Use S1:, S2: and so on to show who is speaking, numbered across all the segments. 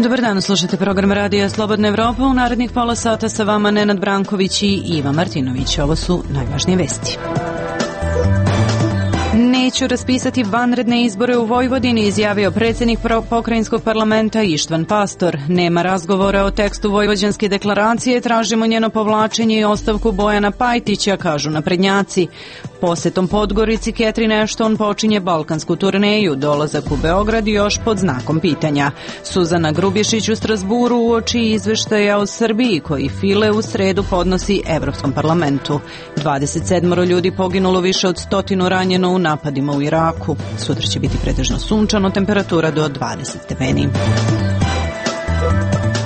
S1: Dobar dan, slušate program Radija Slobodna Evropa. U narednih pola sata sa vama Nenad Branković i Iva Martinović. Ovo su najvažnije vesti. Neću raspisati vanredne izbore u Vojvodini, izjavio predsjednik pokrajinskog parlamenta Ištvan Pastor. Nema razgovora o tekstu Vojvođanske deklaracije, tražimo njeno povlačenje i ostavku Bojana Pajtića, kažu naprednjaci. Posetom Podgorici Catherine Ashton počinje balkansku turneju, dolazak u Beograd još pod znakom pitanja. Suzana Grubješić u Strasburu uoči izveštaja o Srbiji koji File u sredu podnosi Evropskom parlamentu. 27 ljudi poginulo, više od 100 ranjeno u napadima u Iraku. Sutra će biti pretežno sunčano, temperatura do 20 stepeni.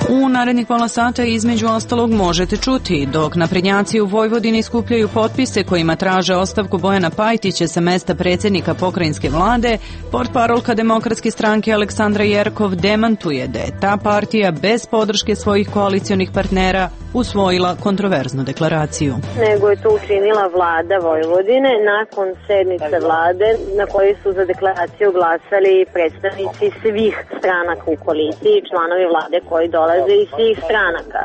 S1: U narednih pola sata između ostalog možete čuti, dok naprednjaci u Vojvodini skupljaju potpise kojima traže ostavku Bojana Pajtića sa mesta predsjednika pokrajinske vlade, portparolka Demokratske stranke Aleksandra Jerkov demantuje da je ta partija bez podrške svojih koalicionih partnera usvojila kontroverznu deklaraciju.
S2: Nego je to učinila vlada Vojvodine nakon sednice vlade na kojoj su za deklaraciju glasali predstavnici svih stranaka u koaliciji, članovi vlade koji dolaze iz svih stranaka.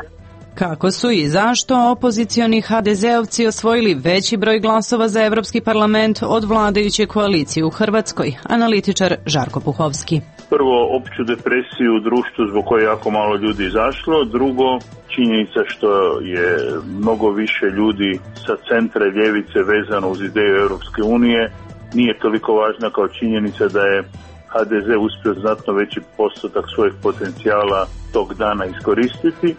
S1: Kako su i zašto opozicioni HDZ-ovci osvojili veći broj glasova za Evropski parlament od vladajuće koalicije u Hrvatskoj? Analitičar Žarko Puhovski.
S3: Prvo, opću depresiju u društvu zbog koje jako malo ljudi izašlo. Drugo, činjenica što je mnogo više ljudi sa centra i ljevice vezano uz ideju Europske unije nije toliko važna kao činjenica da je HDZ uspio znatno veći postotak svojih potencijala tog dana iskoristiti.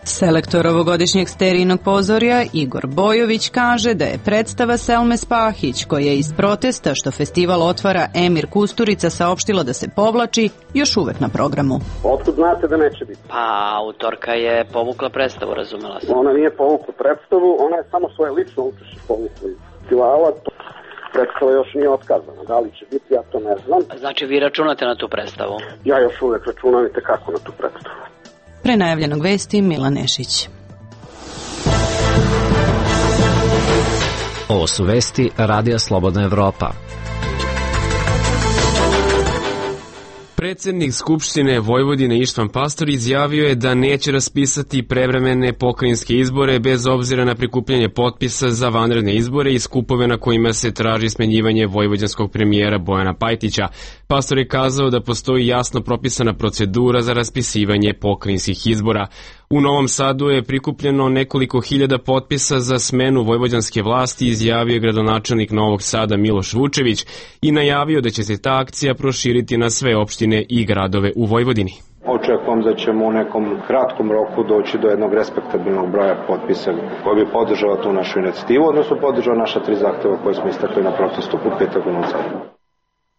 S1: Selektor ovogodišnjeg sterijnog pozorja Igor Bojović kaže da je predstava Selme Spahić, koja je iz protesta što festival otvara Emir Kusturica saopštila da se povlači, još uvek na programu.
S4: Otkud znate da neće biti?
S5: Pa, autorka je povukla predstavu, razumela sam.
S4: Ona nije povukla predstavu, ona je samo svoje lično učešće povukla iz festivala. Predstava još nije otkazana. Da li će biti, ja to ne znam.
S5: Znači, vi računate na tu predstavu?
S4: Ja još uvek računam i tekako na tu predstavu.
S1: Pre najavljenog vesti Milan Nešić.
S6: Ovo su vesti Radija Slobodna Evropa.
S7: Predsjednik Skupštine Vojvodine Ištvan Pastor izjavio je da neće raspisati prevremene pokrajinske izbore bez obzira na prikupljanje potpisa za vanredne izbore i skupove na kojima se traži smenjivanje vojvođanskog premijera Bojana Pajtića. Pastor je kazao da postoji jasno propisana procedura za raspisivanje pokrajinskih izbora. U Novom Sadu je prikupljeno nekoliko hiljada potpisa za smenu vojvođanske vlasti, izjavio gradonačelnik Novog Sada Miloš Vučević i najavio da će se ta akcija proširiti na sve opštine i gradove u Vojvodini.
S8: Očekujem da ćemo u nekom kratkom roku doći do jednog respektabilnog broja potpisa koji bi podržao tu našu inicijativu, odnosno podržao naša 3 zahteva koje smo istakli na protestu u petak u Novom Sadu.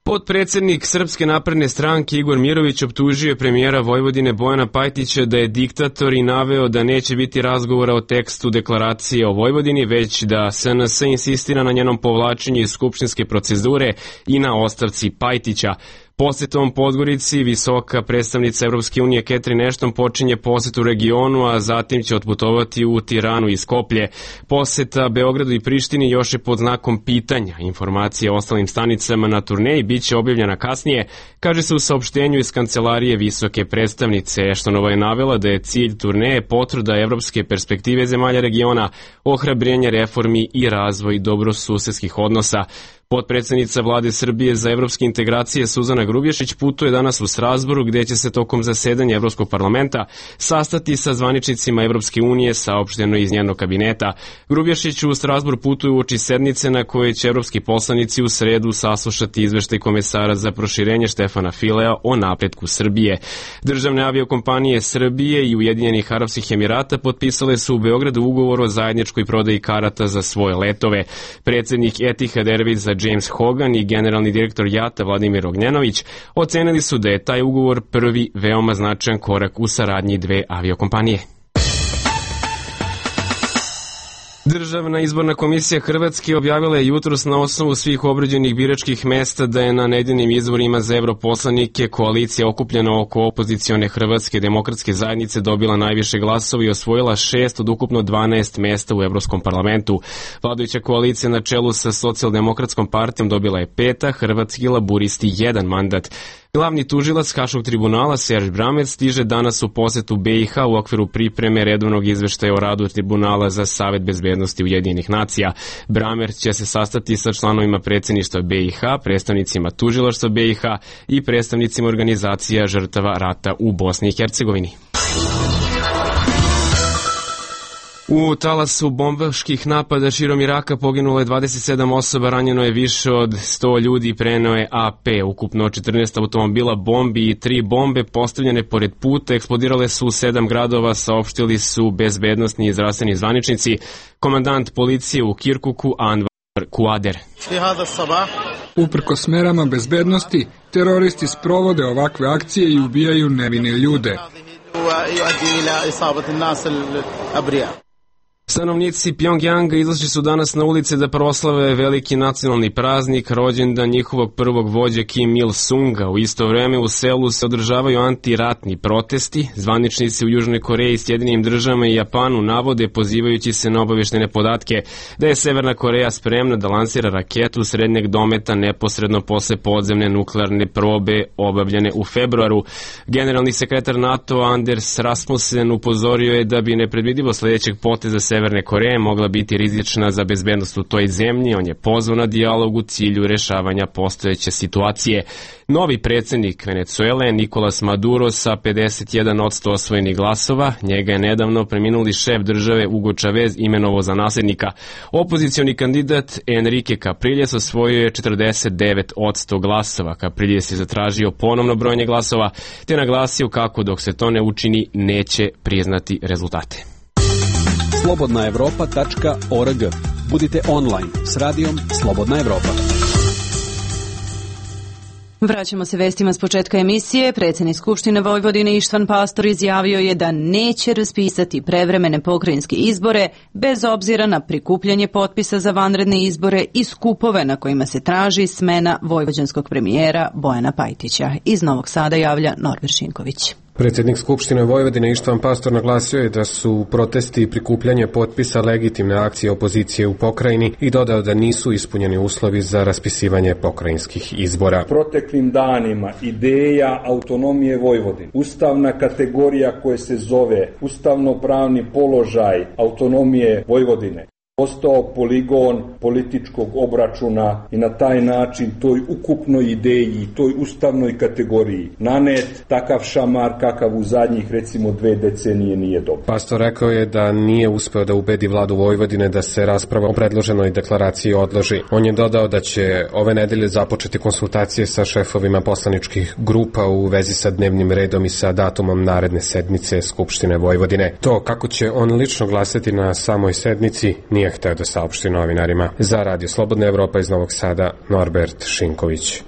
S7: Potpredsednik Srpske napredne stranke Igor Mirović optužio premijera Vojvodine Bojana Pajtića da je diktator i naveo da neće biti razgovora o tekstu deklaracije o Vojvodini, već da SNS insistira na njenom povlačenju iz skupštinske procedure i na ostavci Pajtića. Posetom Podgorici visoka predstavnica Evropske unije Catherine Ashton počinje posetu regionu, a zatim će otputovati u Tiranu i Skoplje. Poseta Beogradu i Prištini još je pod znakom pitanja. Informacije o ostalim stanicama na turneji bit će objavljena kasnije, kaže se u saopštenju iz kancelarije visoke predstavnice. Ashtonova je navela da je cilj turneje potvrda evropske perspektive zemalja regiona, ohrabrenje reformi i razvoj dobrosusedskih odnosa. Potpredsednica vlade Srbije za evropske integracije Suzana Grubješić putuje danas u Strasburu, gde će se tokom zasedanja Evropskog parlamenta sastati sa zvaničnicima Evropske unije, saopšteno iz njenog kabineta. Grubješić u Strasbur putuje uoči sednice na kojoj će evropski poslanici u sredu saslušati izveštaj komesara za proširenje Štefana Filea o napretku Srbije. Državne aviokompanije Srbije i Ujedinjenih Arapskih Emirata potpisale su u Beogradu ugovor o zajedničkoj prodaji karata za svoje letove. Predsjednik Etihad Airwaysa James Hogan i generalni direktor JAT-a Vladimir Ognjenović ocenili su da je taj ugovor prvi veoma značajan korak u saradnji 2 aviokompanije. Državna izborna komisija Hrvatske objavila je jutros na osnovu svih obrađenih biračkih mesta da je na nedeljnim izborima za europoslanike koalicija okupljena oko opozicione Hrvatske demokratske zajednice dobila najviše glasova i osvojila 6 od ukupno 12 mesta u Evropskom parlamentu. Vladajuća koalicija na čelu sa Socijaldemokratskom partijom dobila je 5, Hrvatski laburisti 1 mandat. Glavni tužilac Haškog tribunala Serž Bramer stiže danas u posetu BiH u okviru pripreme redovnog izveštaja o radu Tribunala za Savet bezbednosti Ujedinjenih nacija. Bramer će se sastati sa članovima predsjedništva BiH, predstavnicima tužilaštva BiH i predstavnicima organizacija žrtava rata u Bosni i Hercegovini. U talasu bombaških napada širom Iraka poginulo je 27 osoba, ranjeno je više od 100 ljudi, preneo je AP. Ukupno 14 automobila bombi i 3 bombe postavljene pored puta eksplodirale su u 7 gradova, saopštili su bezbednosni i zdravstveni zvaničnici. Komandant policije u Kirkuku Anvar Kuader.
S9: Uprkos merama bezbednosti, teroristi sprovode ovakve akcije i ubijaju nevine ljude.
S7: Stanovnici Pjongjanga izašli su danas na ulice da proslave veliki nacionalni praznik, rođendan njihovog prvog vođe Kim Il-sunga. U isto vreme u selu se održavaju antiratni protesti. Zvaničnici u Južnoj Koreji, Sjedinjenim državama i Japanu navode, pozivajući se na obaveštene podatke, da je Severna Koreja spremna da lansira raketu srednjeg dometa neposredno posle podzemne nuklearne probe obavljene u februaru. Generalni sekretar NATO Anders Rasmussen upozorio je da bi nepredvidivo sledećeg poteza Severne Koreje mogla biti rizična za bezbednost u toj zemlji. On je pozvao na dijalog u cilju rešavanja postojeće situacije. Novi predsjednik Venecuele, Nicolas Maduro, sa 51% osvojenih glasova, njega je nedavno preminuli šef države Hugo Chavez imenovao za nasljednika. Opozicioni kandidat Enrique Capriles osvojio je 49% glasova. Capriles je zatražio ponovno brojanje glasova, te naglasio kako dok se to ne učini neće priznati rezultate.
S10: slobodnaevropa.org. Budite online s radijom Slobodna Evropa.
S1: Vraćamo se vestima s početka emisije. Predsjednik Skupštine Vojvodine Ištvan Pastor izjavio je da neće raspisati prevremene pokrajinske izbore bez obzira na prikupljanje potpisa za vanredne izbore i skupove na kojima se traži smena vojvođanskog premijera Bojana Pajtića. Iz Novog Sada javlja Norbert Šinković.
S11: Predsjednik Skupštine Vojvodine Ištvan Pastor naglasio je da su protesti i prikupljanje potpisa legitimne akcije opozicije u pokrajini i dodao da nisu ispunjeni uslovi za raspisivanje pokrajinskih izbora.
S12: Proteklim danima ideja autonomije Vojvodine, ustavna kategorija koja se zove ustavno-pravni položaj autonomije Vojvodine, postao poligon političkog obračuna i na taj način toj ukupnoj ideji, toj ustavnoj kategoriji nanet takav šamar kakav u zadnjih recimo 2 decenije nije dobro.
S11: Pastor rekao je da nije uspeo da ubedi vladu Vojvodine da se rasprava o predloženoj deklaraciji odloži. On je dodao da će ove nedelje započeti konsultacije sa šefovima poslaničkih grupa u vezi sa dnevnim redom i sa datumom naredne sednice Skupštine Vojvodine. To kako će on lično glasati na samoj sednici nije hteo da saopšti novinarima. Za Radio Slobodna Evropa iz Novog Sada, Norbert Šinković.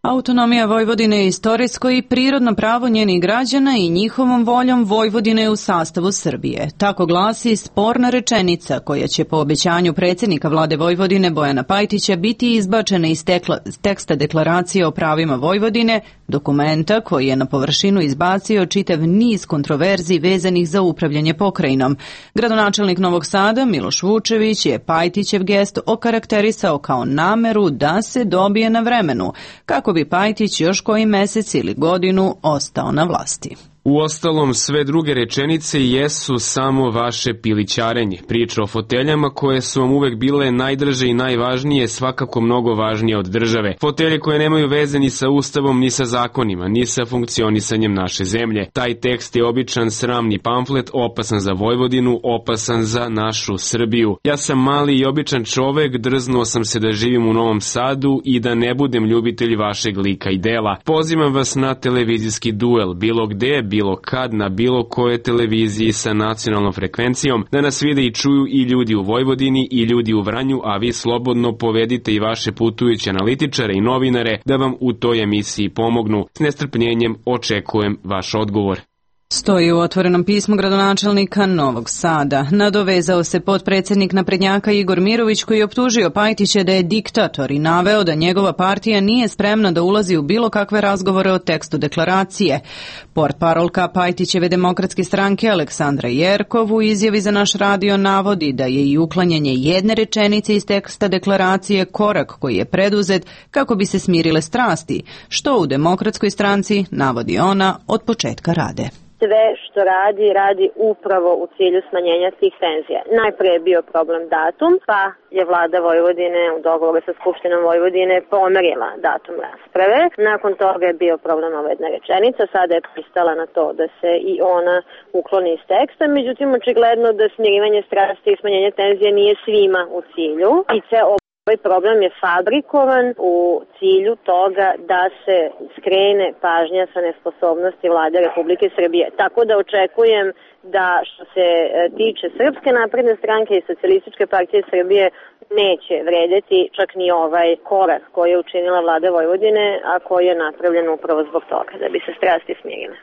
S1: Autonomija Vojvodine je istorijsko i prirodno pravo njenih građana i njihovom voljom Vojvodine je u sastavu Srbije. Tako glasi sporna rečenica koja će po obećanju predsjednika vlade Vojvodine Bojana Pajtića biti izbačena iz teksta deklaracije o pravima Vojvodine, dokumenta koji je na površinu izbacio čitav niz kontroverzi vezanih za upravljanje pokrajinom. Gradonačelnik Novog Sada Miloš Vučević je Pajtićev gest okarakterisao kao nameru da se dobije na vremenu, kako bi Pajtić još koji mesec ili godinu ostao na vlasti.
S7: Uostalom, sve druge rečenice jesu samo vaše pilićarenje. Priča o foteljama koje su vam uvek bile najdraže i najvažnije, svakako mnogo važnije od države. Fotelje koje nemaju veze ni sa ustavom, ni sa zakonima, ni sa funkcionisanjem naše zemlje. Taj tekst je običan sramni pamflet, opasan za Vojvodinu, opasan za našu Srbiju. Ja sam mali i običan čovek, drznuo sam se da živim u Novom Sadu i da ne budem ljubitelj vašeg lika i dela. Pozivam vas na televizijski duel, bilo gde, bilo kad, na bilo kojoj televiziji sa nacionalnom frekvencijom, da nas vide i čuju i ljudi u Vojvodini i ljudi u Vranju, a vi slobodno povedite i vaše putujuće analitičare i novinare da vam u toj emisiji pomognu. S nestrpljenjem očekujem vaš odgovor.
S1: Stoji u otvorenom pismu gradonačelnika Novog Sada. Nadovezao se potpredsjednik naprednjaka Igor Mirović koji je optužio Pajtića da je diktator i naveo da njegova partija nije spremna da ulazi u bilo kakve razgovore o tekstu deklaracije. Portparolka Pajtićeve demokratske stranke Aleksandra Jerkov u izjavi za naš radio navodi da je i uklanjanje jedne rečenice iz teksta deklaracije korak koji je preduzet kako bi se smirile strasti, što u demokratskoj stranci, navodi ona, od početka rade.
S2: Sve što radi upravo u cilju smanjenja tih tenzija. Najprije je bio problem datum, pa je vlada Vojvodine u dogovoru sa Skupštinom Vojvodine pomerila datum rasprave. Nakon toga je bio problem ova jedna rečenica, sada je pristala na to da se i ona ukloni iz teksta, međutim očigledno da smirivanje strasti i smanjenje tenzija nije svima u cilju i ovaj problem je fabrikovan u cilju toga da se skrene pažnja sa nesposobnosti vlade Republike Srbije. Tako da očekujem da što se tiče Srpske napredne stranke i Socijalističke partije Srbije neće vredeti čak ni ovaj korak koji je učinila vlada Vojvodine, a koji je napravljen upravo zbog toga, da bi se strasti smirile.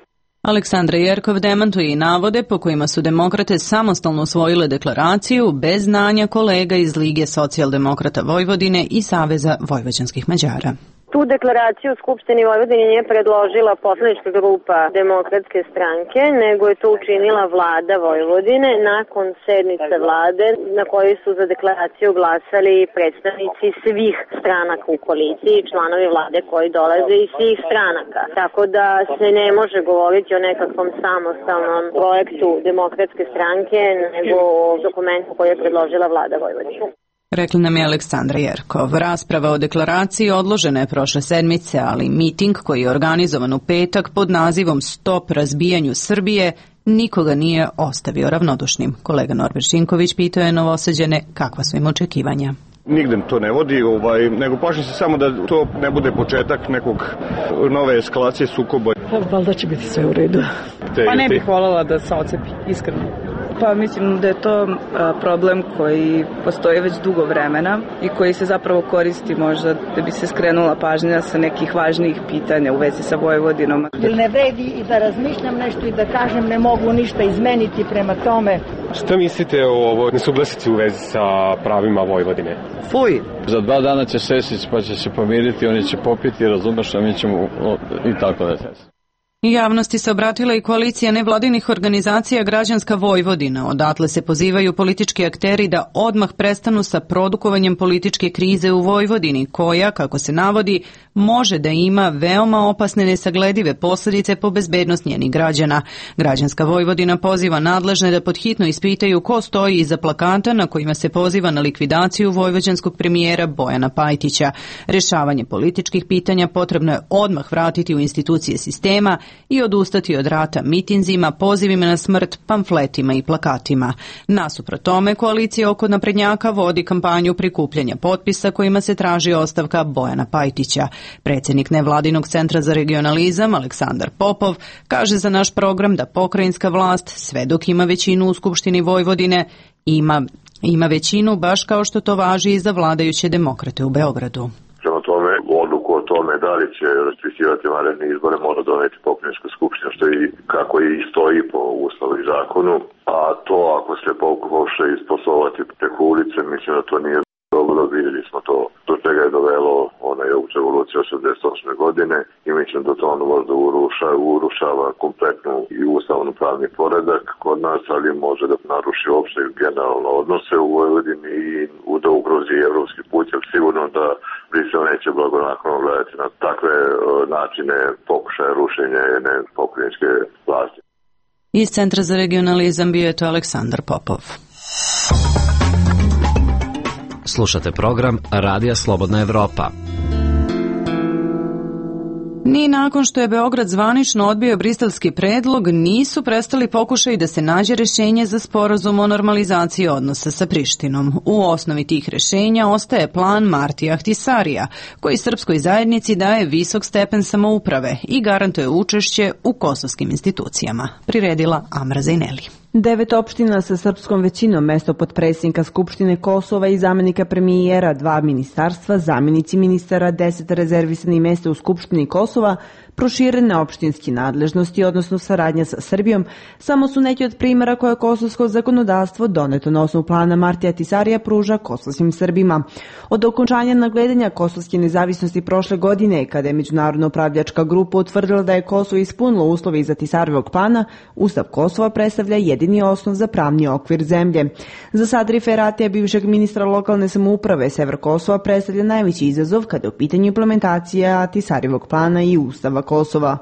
S1: Aleksandra Jerkov demantuje i navode po kojima su demokrate samostalno usvojile deklaraciju bez znanja kolega iz Lige socijaldemokrata Vojvodine i Saveza vojvođanskih Mađara.
S2: Tu deklaraciju u Skupštini Vojvodine nije predložila poslanička grupa Demokratske stranke, nego je to učinila vlada Vojvodine nakon sednice vlade na kojoj su za deklaraciju glasali predstavnici svih stranaka u koaliciji, članovi vlade koji dolaze iz svih stranaka. Tako da se ne može govoriti o nekakvom samostalnom projektu Demokratske stranke, nego o dokumentu koji je predložila vlada Vojvodine.
S1: Rekla nam je Aleksandra Jerkov. Rasprava o deklaraciji odložena je prošle sedmice, ali miting koji je organizovan u petak pod nazivom Stop razbijanju Srbije nikoga nije ostavio ravnodušnim. Kolega Norbert Šinković pitao je Novosađane kakva su im očekivanja.
S13: Nigde to ne vodi, nego plašim se samo da to ne bude početak nekog nove eskalacije sukoba.
S14: Valjda će biti sve u redu. Pa ne bih voljela da se ocepi, iskreno. Pa mislim da je to problem koji postoji već dugo vremena i koji se zapravo koristi možda da bi se skrenula pažnja sa nekih važnijih pitanja u vezi sa Vojvodinom.
S15: Ili ne vredi i da razmišljam nešto i da kažem ne mogu ništa izmeniti prema tome.
S11: Šta mislite o ovoj nesuglasici u vezi sa pravima Vojvodine?
S16: Fuj! Za 2 dana će Sesić pa će se pomiriti, oni će popiti, razumeš, a mi ćemo i tako da se.
S1: Javnosti se obratila i koalicija nevladinih organizacija Građanska Vojvodina. Odatle se pozivaju politički akteri da odmah prestanu sa produkovanjem političke krize u Vojvodini, koja, kako se navodi, može da ima veoma opasne nesagledive posljedice po bezbednost njenih građana. Građanska Vojvodina poziva nadležne da podhitno ispitaju ko stoji iza plakata na kojima se poziva na likvidaciju vojvođanskog premijera Bojana Pajtića. Rješavanje političkih pitanja potrebno je odmah vratiti u institucije sistema i odustati od rata mitinzima, pozivima na smrt, pamfletima i plakatima. Nasuprot tome, koalicija oko naprednjaka vodi kampanju prikupljanja potpisa kojima se traži ostavka Bojana Pajtića. Predsjednik nevladinog centra za regionalizam Aleksandar Popov kaže za naš program da pokrajinska vlast, sve dok ima većinu u Skupštini Vojvodine, ima većinu baš kao što to važi i za vladajuće demokrate u Beogradu.
S17: Odluku o tome da li će raspisivati vanredne izbore mora doneti pokrajinska skupština, što i kako i stoji po Ustavu i zakonu, a to ako se pokuša isposlovati preko ulice, mislim da to nije dobro. Vidjeli smo to do čega je dovelo ona je revolucija 88. godine i mislim da to ono možda urušava kompletnu i ustavno pravni poredak kod nas, ali može da naruši opšte generalno odnose u Vojvodini i da ugrozi evropski put, jer sigurno da Brisel neće blagonaklono gledati na takve načine pokušaja rušenja jedne pokrajinske vlasti.
S1: Iz Centra za regionalizam bio je to Aleksandar Popov.
S6: Slušate program Radija Slobodna Evropa.
S1: Ni nakon što je Beograd zvanično odbio briselski predlog, nisu prestali pokušaji da se nađe rješenje za sporazum o normalizaciji odnosa sa Prištinom. U osnovi tih rješenja ostaje plan Martija Ahtisarija, koji srpskoj zajednici daje visok stepen samouprave i garantuje učešće u kosovskim institucijama. Priredila Amra Zajneli.
S18: 9 opština sa srpskom većinom, mesto potpredsjednika Skupštine Kosova i zamenika premijera, 2 ministarstva, zamenici ministara, 10 rezervisanih mjesta u Skupštini Kosova, Proširene opštinske nadležnosti, odnosno saradnja sa Srbijom, samo su neki od primjera koje kosovsko zakonodavstvo doneto na osnovu plana Martija Ahtisarija pruža kosovskim Srbima. Od okončanja nadgledanja kosovske nezavisnosti prošle godine, kada je međunarodna upravljačka grupa utvrdila da je Kosovo ispunilo uslove iz Ahtisarijevog plana, Ustav Kosova predstavlja jedini osnov za pravni okvir zemlje. Za Sadri Feratija, bivšeg ministra lokalne samouprave, sever Kosova predstavlja najveći izazov kada je u pitanju implementacija Ahtisarijevog plana i Ustava Kosova.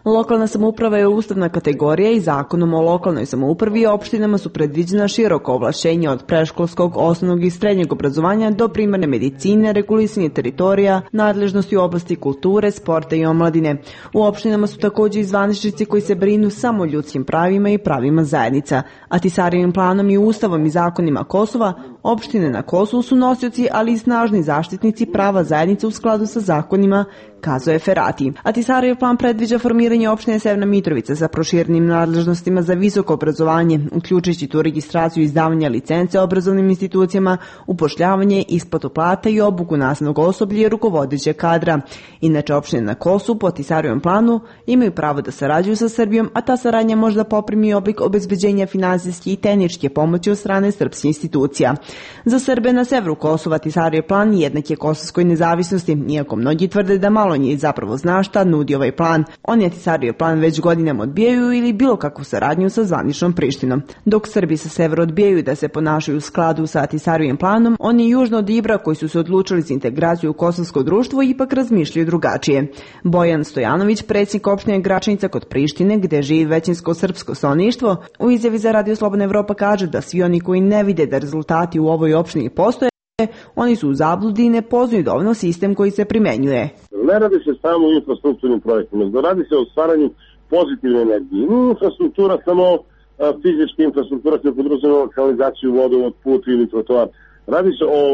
S18: Lokalna samouprava je ustavna kategorija i zakonom o lokalnoj samoupravi i opštinama su predviđena široko ovlašćenja od predškolskog, osnovnog i srednjeg obrazovanja do primarne medicine, regulisanje teritorija, nadležnosti u oblasti kulture, sporta i omladine. U opštinama su također i zvaničnici koji se brinu samo o ljudskim pravima i pravima zajednica. Ahtisarijevim planom i ustavom i zakonima Kosova, opštine na Kosovu su nosioci, ali i snažni zaštitnici prava zajednice u skladu sa zakonima, kazao je Ferati. Ahtisarijev plan predviđa formiranje opštine Severna Mitrovica sa proširenim nadležnostima za visoko obrazovanje, uključujući tu registraciju i izdavanja licence obrazovnim institucijama, upošljavanje, isplatu plata i obuku nastavnog osoblja i rukovodeće kadra. Inače, opštine na Kosovu po Ahtisarijevom planu imaju pravo da sarađuju sa Srbijom, a ta saradnja može da poprimi oblik obezbeđenja finansijske i tehničke pomoći od strane srpskih institucija. Za Srbe na severu Kosova Ahtisarijev plan jednak je kosovskoj nezavisnosti, iako mnogi tvrde da malo njih zapravo zna šta nudi ovaj plan. Oni Ahtisarijev plan već godinama odbijaju ili bilo kakvu saradnju sa zvaničnom Prištinom. Dok Srbi sa severa odbijaju da se ponašaju u skladu sa Ahtisarijevim planom, oni južno od Ibra koji su se odlučili za integraciju u kosovsko društvo ipak razmišljaju drugačije. Bojan Stojanović, predsjednik opštine Gračanica kod Prištine, gde živi većinsko srpsko stanovništvo, u izjavi za Radio Slobodna Evropa kaže da svi oni koji ne vide da rezultati u ovoj opštini postoje, oni su u zabludi i ne poznaju dovoljno sistem koji se primenjuje.
S19: Ne radi se samo o infrastrukturnim projektima, nego radi se o stvaranju pozitivne energije. Nije infrastruktura samo fizička infrastruktura koja podrazumeva kanalizaciju, vodovod, put ili trotoar. Radi se o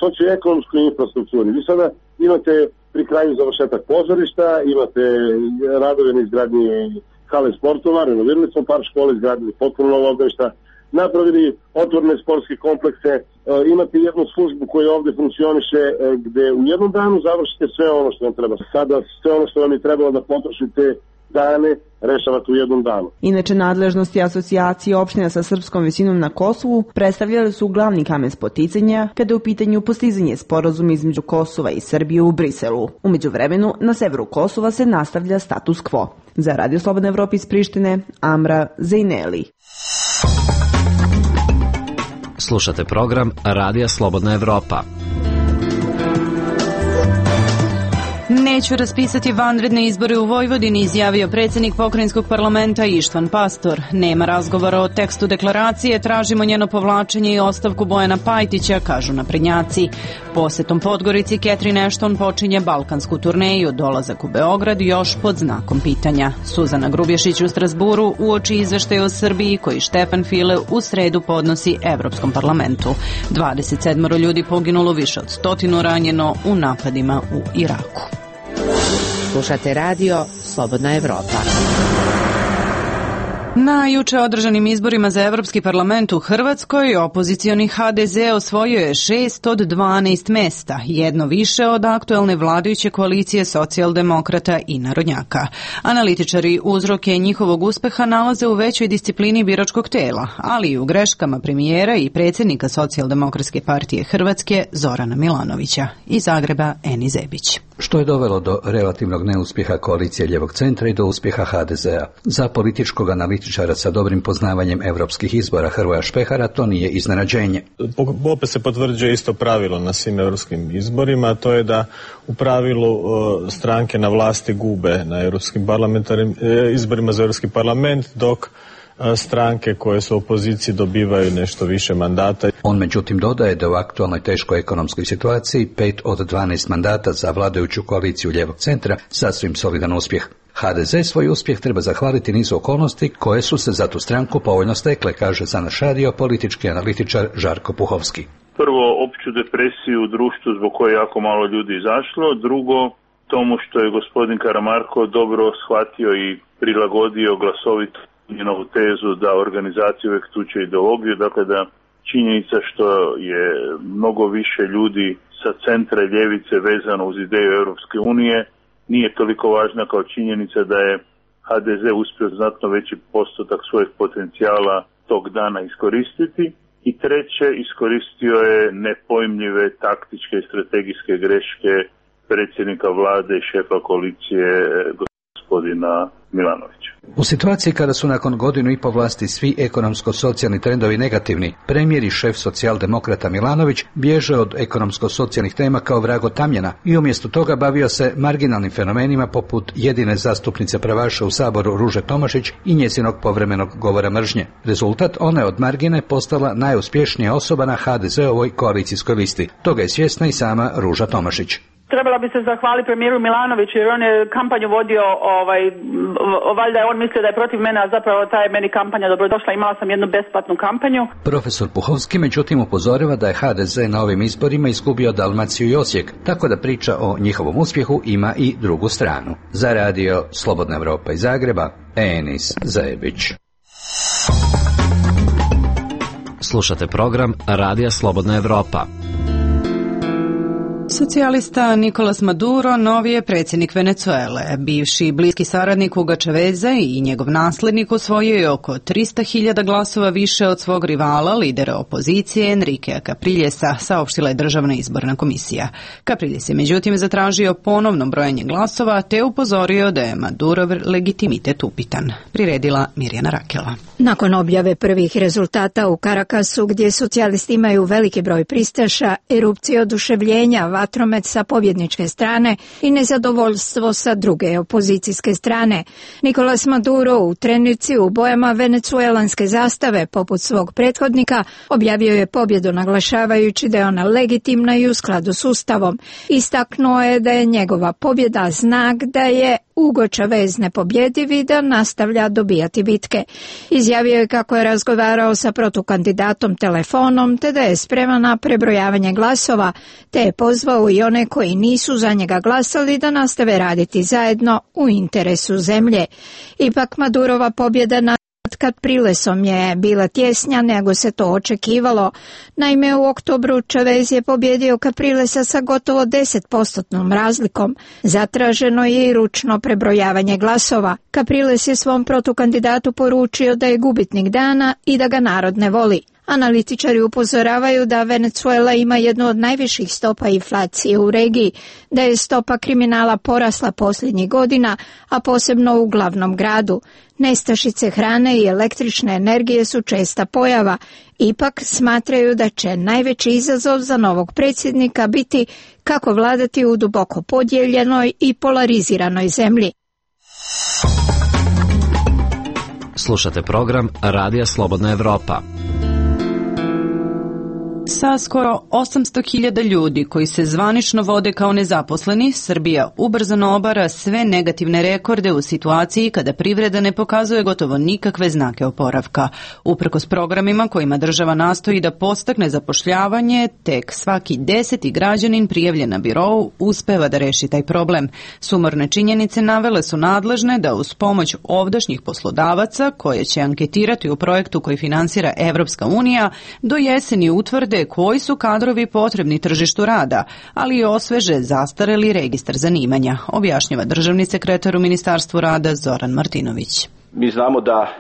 S19: socioekonomskoj infrastrukturi. Vi sada imate pri kraju završetak pozorišta, imate radove na izgradnji hale sportova, renovirali smo par škole, izgradili potpuno novo obdaništa, napravili otvorene sportske komplekse, imate jednu službu koja ovdje funkcioniše gde u jednom danu završite sve ono što vam treba. Sada sve ono što vam je trebalo da potrošite dane rešavate u jednom danu.
S18: Inače, nadležnosti asocijacije opština sa srpskom većinom na Kosovu predstavljali su glavni kamen spoticanja kada je u pitanju postizanje sporazuma između Kosova i Srbije u Briselu. U međuvremenu, na severu Kosova se nastavlja status quo. Za Radio Slobodna Evropa iz Prištine, Amra Zejneli.
S6: Slušate program Radija Slobodna Evropa.
S1: Neću raspisati vanredne izbore u Vojvodini, izjavio predsjednik pokrajinskog parlamenta Ištvan Pastor. Nema razgovora o tekstu deklaracije, tražimo njeno povlačenje i ostavku Bojana Pajtića, kažu naprednjaci. Posetom Podgorici Catherine Ashton počinje balkansku turneju, dolazak u Beograd još pod znakom pitanja. Suzana Grubješić u Strasburu uoči izveštaj o Srbiji koji Štefan File u sredu podnosi Evropskom parlamentu. 27 ljudi poginulo, više od 100 ranjeno u napadima u Iraku.
S20: Slušate radio Slobodna Evropa.
S1: Na juče održanim izborima za Evropski parlament u Hrvatskoj opozicioni HDZ osvojio je 6 od 12 mesta, jedno više od aktuelne vladajuće koalicije socijaldemokrata i narodnjaka. Analitičari uzroke njihovog uspeha nalaze u većoj disciplini biračkog tela, ali i u greškama premijera i predsjednika Socijaldemokratske partije Hrvatske Zorana Milanovića. Iz Zagreba Eni Zebić.
S21: Što je dovelo do relativnog neuspjeha koalicije ljevog centra i do uspjeha HDZ-a. Za političkog analitičara sa dobrim poznavanjem europskih izbora Hrvoja Špehara to nije iznenađenje.
S22: Opet se potvrđuje isto pravilo na svim europskim izborima, a to je da u pravilu stranke na vlasti gube na europskim izborima za Europski parlament, dok stranke koje su u opoziciji dobivaju nešto više mandata.
S21: On međutim dodaje da u aktualnoj teškoj ekonomskoj situaciji 5 od 12 mandata za vladajuću koaliciju ljevog centra sasvim solidan uspjeh. HDZ svoj uspjeh treba zahvaliti nizu okolnosti koje su se za tu stranku povoljno stekle, kaže za naš radio politički analitičar Žarko Puhovski.
S3: Prvo, opću depresiju u društvu zbog koje jako malo ljudi izašlo. Drugo, tomu što je gospodin Karamarko dobro shvatio i prilagodio glasovito novu tezu da organizacija uvijek tuče ideologiju, dakle da činjenica što je mnogo više ljudi sa centra i ljevice vezano uz ideju Europske unije nije toliko važna kao činjenica da je HDZ uspio znatno veći postotak svojih potencijala tog dana iskoristiti. I treće, iskoristio je nepojmljive taktičke i strategijske greške predsjednika vlade i šefa koalicije gospodina Milanovića.
S21: U situaciji kada su nakon godinu i po vlasti svi ekonomsko-socijalni trendovi negativni, premijer i šef socijaldemokrata Milanović bježe od ekonomsko-socijalnih tema kao vrag od tamjana i umjesto toga bavio se marginalnim fenomenima poput jedine zastupnice pravaša u Saboru Ruže Tomašić i njezinog povremenog govora mržnje. Rezultat, ona je od margine postala najuspješnija osoba na HDZ-ovoj koalicijskoj listi. Toga je svjesna i sama Ruža Tomašić.
S4: Trebala bi se zahvaliti premijeru Milanoviću jer on je kampanju vodio, valjda je on mislio da je protiv mene, a zapravo ta je meni kampanja dobrodošla, imala sam jednu besplatnu kampanju.
S21: Profesor Puhovski međutim upozorava da je HDZ na ovim izborima izgubio Dalmaciju i Osijek, tako da priča o njihovom uspjehu ima i drugu stranu. Za radio Slobodna Evropa iz Zagreba, Enis Zajebić.
S6: Slušate program Radija Slobodna Evropa.
S1: Socijalista Nicolas Maduro novi je predsjednik Venezuele. Bivši bliski saradnik Huga Chaveza i njegov naslednik osvojio je oko 300.000 glasova više od svog rivala, lidera opozicije Enriquea Capriljesa, saopštila je Državna izborna komisija. Capriles je međutim zatražio ponovno brojanje glasova te upozorio da je Madurov legitimitet upitan. Priredila Mirjana Rakela.
S5: Nakon objave prvih rezultata u Caracasu, gdje socijalisti imaju veliki broj pristaša, erupcije oduševljenja, vatromet sa pobjedničke strane i nezadovoljstvo sa druge opozicijske strane, Nicolas Maduro u trenici u bojama venecuelanske zastave poput svog prethodnika objavio je pobjedu naglašavajući da je ona legitimna i u skladu s Ustavom. Istaknuo je da je njegova pobjeda znak da je Hugo Chavez nepobjediv i da nastavlja dobijati bitke. Izjavio je kako je razgovarao sa protukandidatom telefonom te da je spreman na prebrojavanje glasova, te je pozvao i one koji nisu za njega glasali da nastave raditi zajedno u interesu zemlje. Ipak Madurova pobjeda nad Caprilesom je bila tjesnja nego se to očekivalo. Naime, u oktobru Chavez je pobjedio Caprilesa sa gotovo 10% razlikom. Zatraženo je i ručno prebrojavanje glasova. Capriles je svom protukandidatu poručio da je gubitnik dana i da ga narod ne voli. Analitičari upozoravaju da Venezuela ima jednu od najviših stopa inflacije u regiji, da je stopa kriminala porasla posljednjih godina, a posebno u glavnom gradu. Nestašice hrane i električne energije su česta pojava. Ipak smatraju da će najveći izazov za novog predsjednika biti kako vladati u duboko podijeljenoj i polariziranoj zemlji.
S6: Slušate program Radija Slobodna Evropa.
S1: Sa skoro 800.000 ljudi koji se zvanično vode kao nezaposleni, Srbija ubrzano obara sve negativne rekorde u situaciji kada privreda ne pokazuje gotovo nikakve znake oporavka. Uprkos programima kojima država nastoji da podstakne zapošljavanje, tek svaki 10. građanin prijavljen na birou uspeva da reši taj problem. Sumorne činjenice navele su nadležne da uz pomoć ovdašnjih poslodavaca, koje će anketirati u projektu koji finansira Evropska unija, do jeseni utvrde koji su kadrovi potrebni tržištu rada, ali i osveže zastareli registar zanimanja, objašnjava državni sekretar u Ministarstvu rada Zoran Martinović.
S23: Mi znamo da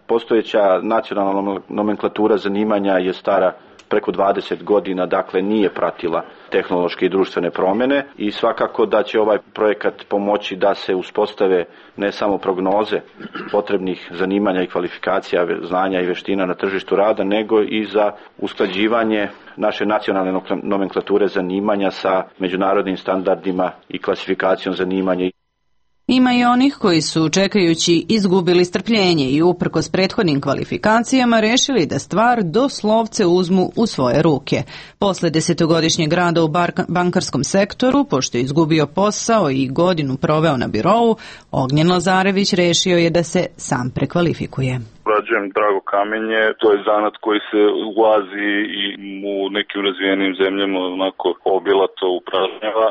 S23: postojeća nacionalna nomenklatura zanimanja je stara preko 20 godina, dakle nije pratila tehnološke i društvene promjene i svakako da će ovaj projekat pomoći da se uspostave ne samo prognoze potrebnih zanimanja i kvalifikacija, znanja i vještina na tržištu rada, nego i za usklađivanje naše nacionalne nomenklature zanimanja sa međunarodnim standardima i klasifikacijom zanimanja.
S1: Ima i onih koji su, čekajući, izgubili strpljenje i uprkos prethodnim kvalifikacijama rešili da stvar doslovce uzmu u svoje ruke. Posle 10-godišnjeg rada u bankarskom sektoru, pošto je izgubio posao i godinu proveo na birou, Ognjen Lazarević rešio je da se sam prekvalifikuje.
S24: Rađujem drago kamenje, to je zanat koji se ulazi i u nekim razvijenim zemljama onako obilato upražnjava.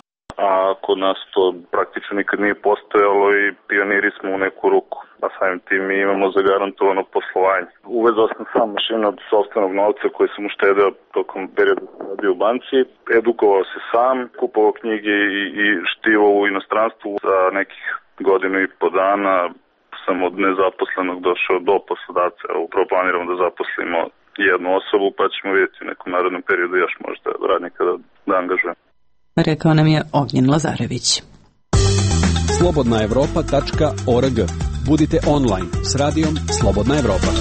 S24: a kod nas to praktično nikad nije postojalo i pioniri smo u neku ruku, a samim tim mi imamo zagarantovano poslovanje. Uvezao sam sam mašinu od sopstvenog novca koji sam uštedeo tokom perioda radio u banci, edukovao se sam, kupovao knjige i štivo u inostranstvu. Za nekih godinu i po dana sam od nezaposlenog došao do poslodavca. Upravo planiramo da zaposlimo jednu osobu, pa ćemo vidjeti u nekom narodnom periodu još možda radnika da angažujem.
S1: Rekao nam je Ognjen Lazarević.
S8: slobodnaevropa.org. Budite online s radijom Slobodna Evropa.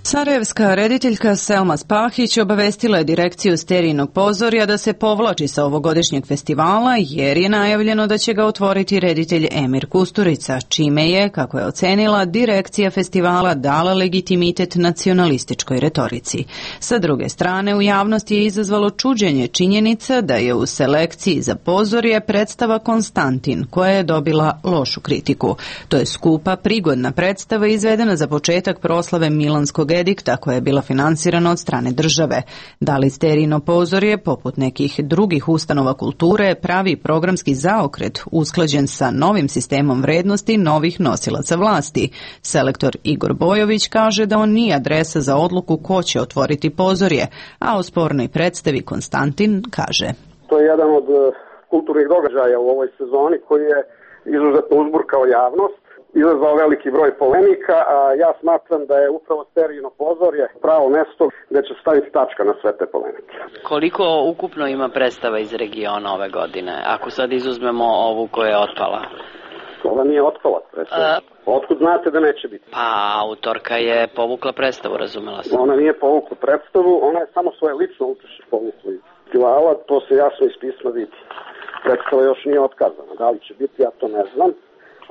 S1: Sarajevska rediteljka Selma Spahić obavestila je direkciju Sterijinog pozorja da se povlači sa ovogodišnjeg festivala jer je najavljeno da će ga otvoriti reditelj Emir Kusturica, čime je, kako je ocenila, direkcija festivala dala legitimitet nacionalističkoj retorici. Sa druge strane, u javnosti je izazvalo čuđenje činjenica da je u selekciji za pozorje predstava Konstantin, koja je dobila lošu kritiku. To je skupa, prigodna predstava izvedena za početak proslave Milanskog edikta koja je bila finansirana od strane države. Da li Sterijino pozorje, poput nekih drugih ustanova kulture, pravi programski zaokret usklađen sa novim sistemom vrednosti novih nosilaca vlasti? Selektor Igor Bojović kaže da on nije adresa za odluku ko će otvoriti pozorje, a o spornoj predstavi Konstantin kaže:
S9: To je jedan od kulturnih događaja u ovoj sezoni koji je izuzetno uzburkao javnost, izazvao veliki broj polemika, a ja smatram da je upravo Sterijino pozorje pravo mesto gde će staviti tačka na sve te polemike.
S10: Koliko ukupno ima predstava iz regiona ove godine, ako sad izuzmemo ovu koja je otpala?
S9: Ova nije otpala predstava. Otkud znate da neće biti?
S10: Pa, autorka je povukla predstavu, razumela sam.
S9: Ona nije povukla predstavu, ona je samo svoje lično učešće povukla iz festivala, to se jasno iz pisma vidi. Predstava još nije otkazana, da li će biti, ja to ne znam,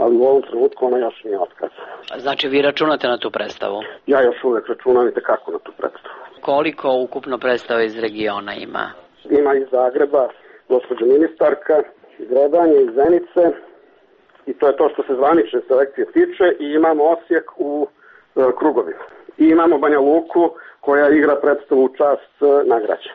S9: ali u ovom trenutku ona još nije otkazana.
S10: Znači vi računate na tu predstavu?
S9: Ja još uvek računam i tekako na tu predstavu.
S10: Koliko ukupno predstava iz regiona ima?
S9: Ima iz Zagreba, gospođa ministarka, iz Redanje, iz Zenice, i to je to što se zvanične selekcije tiče, i imamo Osijek u krugovima. I imamo Banja Luku koja igra predstavu u čast nagrađa.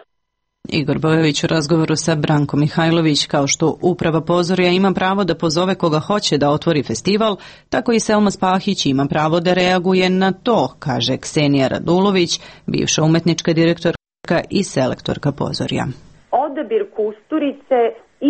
S1: Igor Bojović u razgovoru sa Brankom Mihajlović, kao što uprava pozorja ima pravo da pozove koga hoće da otvori festival, tako i Selma Spahić ima pravo da reaguje na to, kaže Ksenija Radulović, bivša umetnička direktorka i selektorka pozorja.
S12: Odabir Kusturice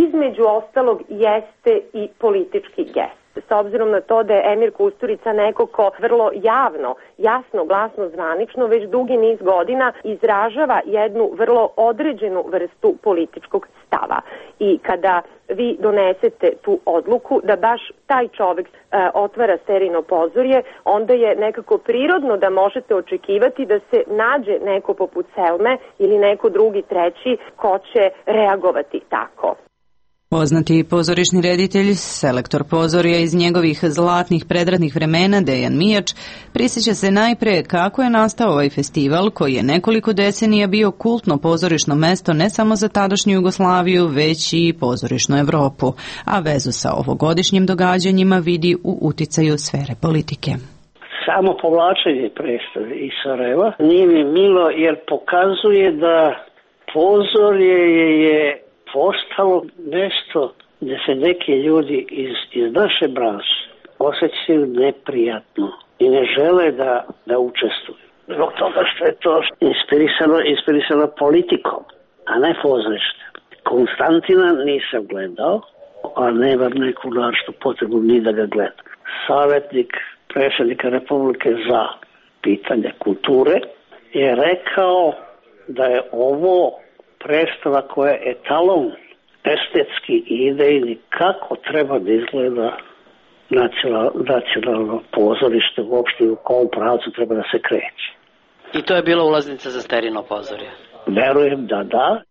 S12: između ostalog jeste i politički gest. S obzirom na to da je Emir Kusturica neko ko vrlo javno, jasno, glasno, zvanično, već dugi niz godina izražava jednu vrlo određenu vrstu političkog stava. I kada vi donesete tu odluku da baš taj čovek otvara Sterijino pozorje, onda je nekako prirodno da možete očekivati da se nađe neko poput Selme ili neko drugi treći ko će reagovati tako.
S1: Poznati pozorišni reditelj, selektor pozorja iz njegovih zlatnih predratnih vremena, Dejan Mijač, prisjeća se najpre kako je nastao ovaj festival koji je nekoliko decenija bio kultno pozorišno mesto ne samo za tadašnju Jugoslaviju, već i pozorišnu Evropu, a vezu sa ovogodišnjim događanjima vidi u uticaju sfere politike.
S25: Samo povlačenje predstave iz Sarajeva nije mi milo jer pokazuje da pozorje je postalo nešto gde se neki ljudi iz naše branše osjećaju neprijatno i ne žele da učestvuju. Zbog toga što je to inspirisano politikom, a ne pozorište. Konstantina nisam gledao, a nemam neku naročitu potrebu ni da ga gledam. Savjetnik predsjednika Republike za pitanje kulture je rekao da je ovo predstava koja je etalon estetski i idejni kako treba da izgleda nacionalno pozorište uopšte u kom pravcu treba da se kreće.
S10: I to je bila ulaznica za Sterijino pozorje?
S25: Verujem da da.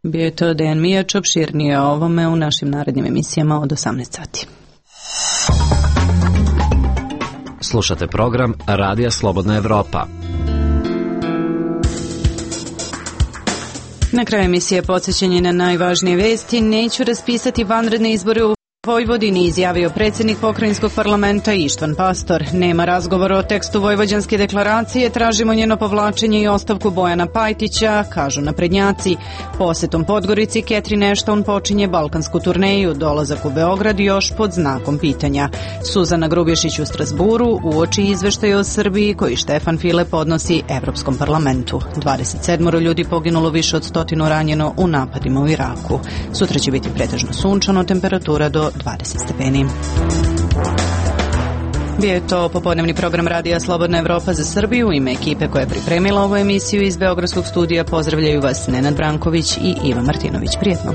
S1: Bio je to Dejan Mijač, opširnije o ovome u našim narednim emisijama od 18 sati.
S6: Slušate program Radija Slobodna Evropa.
S1: Na kraju emisije podsjećanje na najvažnije vesti. Neću raspisati vanredne izbore u Vojvodini izjavio predsjednik pokrajinskog parlamenta Ištvan Pastor. Nema razgovora o tekstu Vojvođanske deklaracije, tražimo njeno povlačenje i ostavku Bojana Pajtića, kažu naprednjaci. Posetom Podgorici Catherine Ashton počinje balkansku turneju, dolazak u Beograd još pod znakom pitanja. Suzana Grubješić u Strasburu uoči izveštaj o Srbiji koji Štefan File podnosi Evropskom parlamentu. 27 ljudi poginulo, više od 100 ranjeno u napadima u Iraku. Sutra će biti pretežno sunčano, temperatura do 20 stepeni. Bio je to popodnevni program Radija Slobodna Evropa za Srbiju. U ime ekipe koja je pripremila ovu emisiju iz Beogradskog studija pozdravljaju vas Nenad Branković i Iva Martinović. Prijetno.